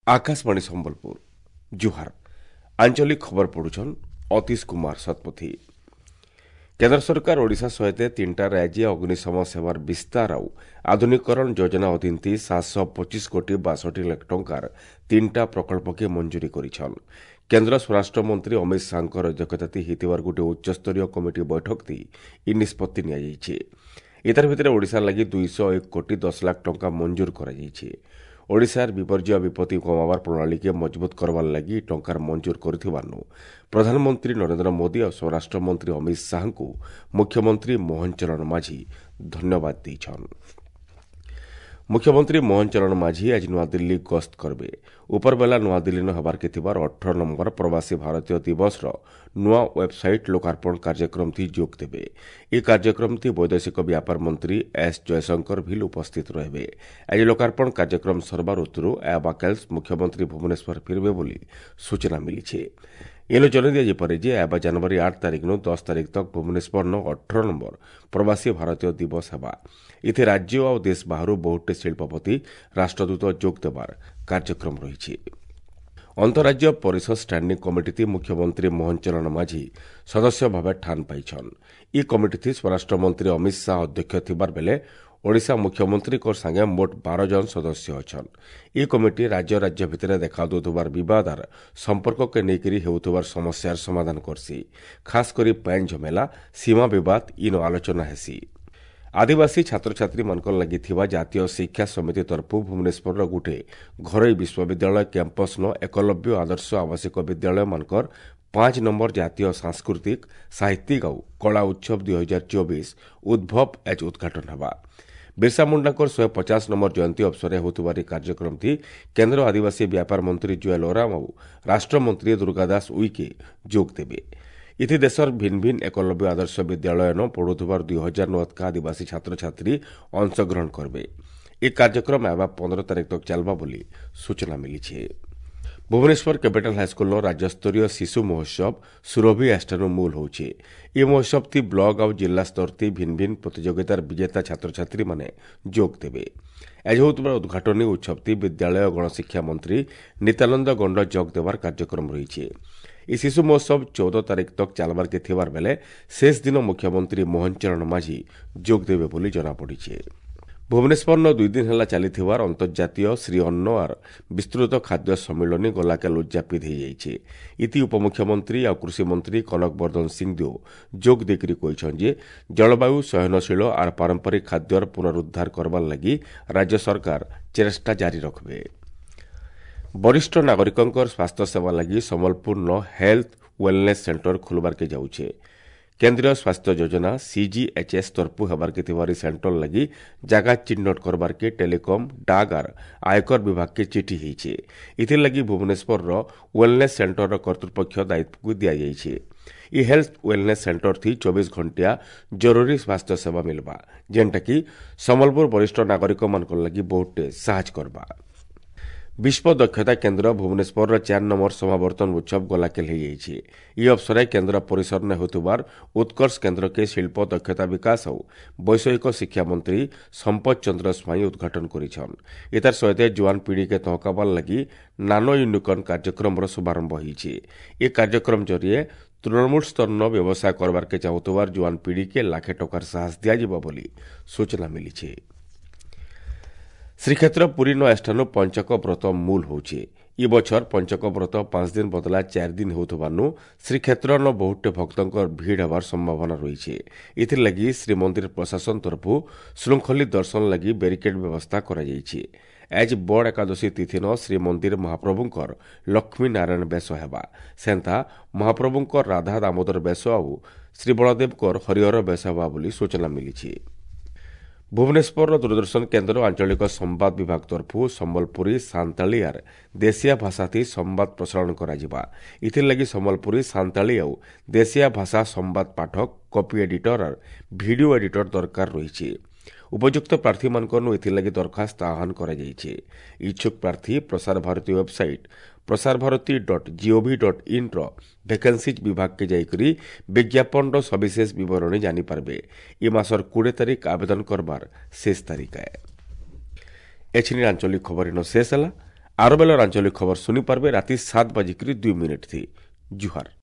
ଆକାଶବାଣୀ ସମ୍ବଲପୁର, ଜୁହାର। ଆଞ୍ଚଳିକ ଖବର ପଢୁଛନ୍ ଅତୀଶ କୁମାର ଶତପଥୀ। କେନ୍ଦ୍ର ସରକାର ଓଡ଼ିଶା ସହିତ 3ଟା ରାଜ୍ୟ ଅଗ୍ନିଶମ ସେବାର ବିସ୍ତାର ଆଉ ଆଧୁନିକରଣ ଯୋଜନା ଅଧୀନ 725 କୋଟି 62 ଲକ୍ଷ ଟଙ୍କାର 3ଟା ପ୍ରକଳ୍ପକେ ମଞ୍ଜୁରୀ କରିଛନ୍। କେନ୍ଦ୍ର ସ୍ୱରାଷ୍ଟ୍ର ମନ୍ତ୍ରୀ ଅମିତ ଶାହାଙ୍କର ଅଧ୍ୟକ୍ଷତାତି ହେଇଥିବାର ଗୋଟିଏ ଉଚ୍ଚସ୍ତରୀୟ କମିଟି ବୈଠକତି ଇ ନିଷ୍ପତ୍ତି ନିଆଯାଇଛି। ଏତାର ଭିତରେ ଓଡ଼ିଶା ଲାଗି 201 କୋଟି 10 ଲାଖ ଟଙ୍କା ମଞ୍ଜୁର କରାଯାଇଛି। ଓଡ଼ିଶାର ବିପର୍ଯ୍ୟୟ ବିପତ୍ତି କମାବାର ପ୍ରଣାଳୀକେ ମଜବୁତ କରବାର ଲାଗି ଟଙ୍କାର ମଞ୍ଜୁର କରିଥିବାରୁ ପ୍ରଧାନମନ୍ତ୍ରୀ ନରେନ୍ଦ୍ର ମୋଦି ଆଉ ସ୍ୱରାଷ୍ଟ୍ରମନ୍ତ୍ରୀ ଅମିତ ଶାହାଙ୍କୁ ମୁଖ୍ୟମନ୍ତ୍ରୀ ମୋହନ ଚରଣ ମାଝୀ ଧନ୍ୟବାଦ ଦେଇଛନ୍। ମୁଖ୍ୟମନ୍ତ୍ରୀ ମୋହନ ଚରଣ ମାଝୀ ଆଜି ନୂଆଦିଲ୍ଲୀ ଗସ୍ତ କରିବେ। ଉପରବେଲା ନୂଆଦିଲ୍ଲୀନ ହେବାର୍କେ ଥିବାର 18 ନମ୍ବର ପ୍ରବାସୀ ଭାରତୀୟ ଦିବସର ନୂଆ ୱେବ୍ସାଇଟ୍ ଲୋକାର୍ପଣ କାର୍ଯ୍ୟକ୍ରମଥି ଯୋଗ ଦେବେ। ଏହି କାର୍ଯ୍ୟକ୍ରମଥି ବୈଦେଶିକ ବ୍ୟାପାର ମନ୍ତ୍ରୀ ଏସ୍ ଜୟଶଙ୍କର ଭିଲ୍ ଉପସ୍ଥିତ ରହିବେ। ଆଜି ଲୋକାର୍ପଣ କାର୍ଯ୍ୟକ୍ରମ ସରବାର ଉତ୍ତରୁ ଆବାକାଲ୍ସ ମୁଖ୍ୟମନ୍ତ୍ରୀ ଭୁବନେଶ୍ୱର ଫିରବେ ବୋଲି ସୂଚନା ମିଳିଛି। ଏନୁ ଜଣାଇ ଦିଆଯାଇପାରେ ଯେ ଆବା ଜାନୁଆରୀ 8 ତାରିଖରୁ 10 ତାରିଖ ତକ୍ ଭୁବନେଶ୍ୱରନ 18 ନମ୍ବର ପ୍ରବାସୀ ଭାରତୀୟ ଦିବସ ହେବା। ଏଥି ରାଜ୍ୟ ଆଉ ଦେଶ ବାହାରୁ ବହୁଟେ ଶିଳ୍ପପତି, ରାଷ୍ଟ୍ରଦୂତ ଯୋଗ ଦେବାର କାର୍ଯ୍ୟକ୍ରମ ରହିଛି। ଅନ୍ତରାଜ୍ୟ ପରିଷଦ ଷ୍ଟାଣ୍ଡିଂ କମିଟିଥି ମୁଖ୍ୟମନ୍ତ୍ରୀ ମୋହନ ଚରଣ ମାଝୀ ସଦସ୍ୟ ଭାବେ ଠାନ ପାଇଛନ୍। ଇ କମିଟିଥି ସ୍ୱରାଷ୍ଟ୍ରମନ୍ତ୍ରୀ ଅମିତ ଶାହା ଅଧ୍ୟକ୍ଷ ଥିବାର ବେଲେ ଓଡ଼ିଶା ମୁଖ୍ୟମନ୍ତ୍ରୀଙ୍କ ସାଙ୍ଗେ ମୋଟ 12 ଜଣ ସଦସ୍ୟ ଅଛନ୍। ଇ କମିଟି ରାଜ୍ୟ ରାଜ୍ୟ ଭିତରେ ଦେଖାଦେଉଥିବାର ବିବାଦର ସମ୍ପର୍କକେ ନେଇକରି ହେଉଥିବାର ସମସ୍ୟାର ସମାଧାନ କରସି। ଖାସ୍ କରି ପାଏନ୍ ଝମେଲା, ସୀମା ବିବାଦ ଇନ ଆଲୋଚନା ହେସି। ଆଦିବାସୀ ଛାତ୍ରଛାତ୍ରୀମାନଙ୍କର ଲାଗି ଥିବା ଜାତୀୟ ଶିକ୍ଷା ସମିତି ତରଫରୁ ଭୁବନେଶ୍ୱରର ଗୋଟିଏ ଘରୋଇ ବିଶ୍ୱବିଦ୍ୟାଳୟ କ୍ୟାମ୍ପସ୍ନ ଏକଲବ୍ୟ ଆଦର୍ଶ ଆବାସିକ ବିଦ୍ୟାଳୟମାନଙ୍କର 5 ନମ୍ବର ଜାତୀୟ ସାଂସ୍କୃତିକ, ସାହିତ୍ୟିକ ଆଉ କଳା ଉତ୍ସବ 2024 ଉଦ୍ଭବ ଆଜ ଉଦ୍ଘାଟନ ହେବା। ବିର୍ସା ମୁଣ୍ଡାଙ୍କର 150 ନମ୍ବର ଜୟନ୍ତୀ ଅବସରରେ ହେଉଥିବା ଏହି କାର୍ଯ୍ୟକ୍ରମଟି କେନ୍ଦ୍ର ଆଦିବାସୀ ବ୍ୟାପାର ମନ୍ତ୍ରୀ ଜୁଏଲ ଓରାମ ଆଉ ରାଷ୍ଟ୍ରମନ୍ତ୍ରୀ ଦୁର୍ଗାଦାସ ଉଇକେ ଯୋଗ ଦେବେ। ଇଥି ଦେଶର ଭିନ୍ନ ଭିନ୍ନ ଏକଲବ୍ୟ ଆଦର୍ଶ ବିଦ୍ୟାଳୟନ ପଢୁଥିବାର 2000 ଅଧିକା ଆଦିବାସୀ ଛାତ୍ରଛାତ୍ରୀ ଅଂଶଗ୍ରହଣ କରିବେ। ଏହି କାର୍ଯ୍ୟକ୍ରମ ଆଇବା 15 ତାରିଖ ତକ୍ ଚାଲବା ବୋଲି ସୂଚନା ମିଳିଛି। ଭୁବନେଶ୍ୱର କ୍ୟାପିଟାଲ ହାଇସ୍କୁଲର ରାଜ୍ୟସ୍ତରୀୟ ଶିଶୁ ମହୋତ୍ସବ ସୁରଭି ଆଷ୍ଟାନୁ ମୂଲ ହେଉଛି। ଏହି ମହୋତ୍ସବଟି ବ୍ଲକ ଆଉ ଜିଲ୍ଲା ସ୍ତରଟି ଭିନ୍ନ ଭିନ୍ନ ପ୍ରତିଯୋଗିତାର ବିଜେତା ଛାତ୍ରଛାତ୍ରୀମାନେ ଯୋଗ ଦେବେ। ଆଜି ହେଉଥିବା ଉଦ୍ଘାଟନୀ ଉତ୍ସବଟି ବିଦ୍ୟାଳୟ ଗଣଶିକ୍ଷା ମନ୍ତ୍ରୀ ନିତ୍ୟାନନ୍ଦ ଗଣ୍ଡ ଯୋଗ ଦେବାର କାର୍ଯ୍ୟକ୍ରମ ରହିଛି। ଏହି ଶିଶୁ ମହୋତ୍ସବ 14 ତାରିଖ ତକ୍ ଚାଲବାର୍କେ ଥିବାର ବେଲେ ଶେଷ ଦିନ ମୁଖ୍ୟମନ୍ତ୍ରୀ ମୋହନ ଚରଣ ମାଝୀ ଯୋଗ ଦେବେ ବୋଲି ଜଣାପଡ଼ିଛି। ଭୁବନେଶ୍ୱରନ 2 ଦିନ ହେଲା ଚାଲିଥିବାର ଅନ୍ତର୍ଜାତୀୟ ଶ୍ରୀ ଅନ୍ନ ଆର୍ ବିସ୍ତୃତ ଖାଦ୍ୟ ସମ୍ମିଳନୀ ଗଲାକାଲ ଉଦ୍ଯାପିତ ହୋଇଯାଇଛି। ଇତି ଉପମୁଖ୍ୟମନ୍ତ୍ରୀ ଆଉ କୃଷିମନ୍ତ୍ରୀ କନକ ବର୍ଦ୍ଧନ ସିଂଦେଓ ଯୋଗ ଦେଇକରି କହିଛନ୍ତି ଯେ ଜଳବାୟୁ ସହନଶୀଳ ଆର୍ ପାରମ୍ପରିକ ଖାଦ୍ୟର ପୁନରୁଦ୍ଧାର କରବାର ଲାଗି ରାଜ୍ୟ ସରକାର ଚେଷ୍ଟା ଜାରି ରଖିବେ। ବରିଷ୍ଠ ନାଗରିକଙ୍କର ସ୍ୱାସ୍ଥ୍ୟ ସେବା ଲାଗି ସମ୍ବଲପୁରନ ହେଲ୍ଥ ୱେଲନେସ୍ ସେଣ୍ଟର ଖୋଲବାର୍କେ ଯାଉଛେ। କେନ୍ଦ୍ରୀୟ ସ୍ୱାସ୍ଥ୍ୟ ଯୋଜନା ସିଜିଏଚ୍ଏସ୍ ତରଫୁ ହେବାର୍କେ ଥିବାର ସେଣ୍ଟର ଲାଗି ଜାଗା ଚିହ୍ନଟ କରବାର୍କେ ଟେଲିକମ୍, ଡାକ୍ ଆର୍ ଆୟକର ବିଭାଗକେ ଚିଠି ହେଇছে। ଏଥିର୍ଲାଗି ଭୁବନେଶ୍ୱରର ୱେଲନେସ୍ ସେଣ୍ଟରର କର୍ତ୍ତୃପକ୍ଷ ଦାୟିତ୍ୱକୁ ଦିଆଯାଇଛି। ଇ ହେଲ୍ଥ ୱେଲନେସ୍ ସେଣ୍ଟର ଥି 24 ଘଣ୍ଟିଆ ଜରୁରୀ ସ୍ୱାସ୍ଥ୍ୟ ସେବା ମିଲବା, ଯେନ୍ଟାକି ସମ୍ବଲପୁର ବରିଷ୍ଠ ନାଗରିକମାନଙ୍କର ଲାଗି ବହୁତଟେ ସାହାଯ୍ୟ କରବା। ବିଶ୍ୱ ଦକ୍ଷତା କେନ୍ଦ୍ର ଭୁବନେଶ୍ୱରର 4 ନମ୍ବର ସମାବର୍ତ୍ତନ ଉତ୍ସବ ଗଲାକେଲ ହୋଇଯାଇଛି। ଏହି ଅବସରରେ କେନ୍ଦ୍ର ପରିସରରେ ହେଉଥିବାର ଉତ୍କର୍ଷ କେନ୍ଦ୍ରକେ ଶିଳ୍ପ ଦକ୍ଷତା ବିକାଶ ଆଉ ବୈଷୟିକ ଶିକ୍ଷା ମନ୍ତ୍ରୀ ସମ୍ପଦ ଚନ୍ଦ୍ର ସ୍ୱାଇଁ ଉଦ୍ଘାଟନ କରିଛନ୍। ଏତାର ସହିତ ଯୁଆନ ପିଢ଼ିକେ ତହକାବାର ଲାଗି ନାନୋ ୟୁନିକର୍ଣ୍ଣ କାର୍ଯ୍ୟକ୍ରମର ଶୁଭାରମ୍ଭ ହୋଇଛି। ଏ କାର୍ଯ୍ୟକ୍ରମ ଜରିଏ ତୃଣମୂଳ ସ୍ତରନ ବ୍ୟବସାୟ କରବାର୍କେ ଚାହୁଁଥିବାର ଯୁଆନ ପିଢ଼ିକେ ଲାଖେ ଟଙ୍କାର ସାହସ ଦିଆଯିବ ବୋଲି ସୂଚନା ମିଳିଛି। ଶ୍ରୀକ୍ଷେତ୍ର ପୁରୀ ନ ଏଷ୍ଠାନୁ ପଞ୍ଚକ ବ୍ରତ ମୂଲ ହେଉଛି। ଇ ବଛର ପଞ୍ଚକ ବ୍ରତ 5 ଦିନ ବଦଲା 4 ଦିନ ହେଉଥିବାରୁ ଶ୍ରୀକ୍ଷେତ୍ରନ ବହୁଟେ ଭକ୍ତଙ୍କର ଭିଡ଼ ହେବାର ସମ୍ଭାବନା ରହିଛି। ଏଥିର୍ଲାଗି ଶ୍ରୀମନ୍ଦିର ପ୍ରଶାସନ ତରଫରୁ ଶୃଙ୍ଖଳିତ ଦର୍ଶନ ଲାଗି ବ୍ୟାରିକେଡ୍ ବ୍ୟବସ୍ଥା କରାଯାଇଛି। ଆଜି ବଡ଼ ଏକାଦଶୀ ତିଥିନ ଶ୍ରୀମନ୍ଦିର ମହାପ୍ରଭୁଙ୍କର ଲକ୍ଷ୍ମୀ ନାରାୟଣ ବେଶ ହେବା, ସେନ୍ତା ମହାପ୍ରଭୁଙ୍କର ରାଧା ଦାମୋଦର ବେଶ ଆଉ ଶ୍ରୀ ବଳଦେବଙ୍କର ହରିହର ବେଶ ହେବା ବୋଲି ସୂଚନା ମିଳିଛି। ଭୁବନେଶ୍ୱରର ଦୂରଦର୍ଶନ କେନ୍ଦ୍ର ଆଞ୍ଚଳିକ ସମ୍ବାଦ ବିଭାଗ ତରଫରୁ ସମ୍ବଲପୁରୀ, ସାନ୍ତାଳୀ ଆର୍ ଦେଶିଆ ଭାଷାଥି ସମ୍ବାଦ ପ୍ରସାରଣ କରାଯିବା। ଏଥିର୍ଲାଗି ସମ୍ବଲପୁରୀ, ସାନ୍ତାଳୀ ଆଉ ଦେଶିଆ ଭାଷା ସମ୍ବାଦ ପାଠକ, କପି ଏଡିଟର ଆର୍ ଭିଡିଓ ଏଡିଟର ଦରକାର ରହିଛି। ଉପଯୁକ୍ତ ପ୍ରାର୍ଥୀମାନଙ୍କନୁ ଏଥିଲାଗି ଦରଖାସ୍ତ ଆହ୍ୱାନ କରାଯାଇଛି। ଇଚ୍ଛୁକ ପ୍ରାର୍ଥୀ ପ୍ରସାର ଭାରତୀ ୱେବସାଇଟ୍ prasarbharati.gov.in ର ଭେକେନ୍ସିଜ୍ ବିଭାଗକେ ଯାଇକରି ବିଜ୍ଞାପନର ସବିଶେଷ ବିବରଣୀ ଜାଣିପାରିବେ। ଏ ମାସର 20 ତାରିଖ ଆବେଦନ କରବାର ଶେଷ ତାରିଖ। ଏଛିନି ଆଞ୍ଚଳିକ ଖବର ଇନ ଶେଷ ହେଲା। ଆର ବେଲର ଆଞ୍ଚଳିକ ଖବର ଶୁଣିପାରବେ ରାତି 7:02 ଥି। ଜୁହାର।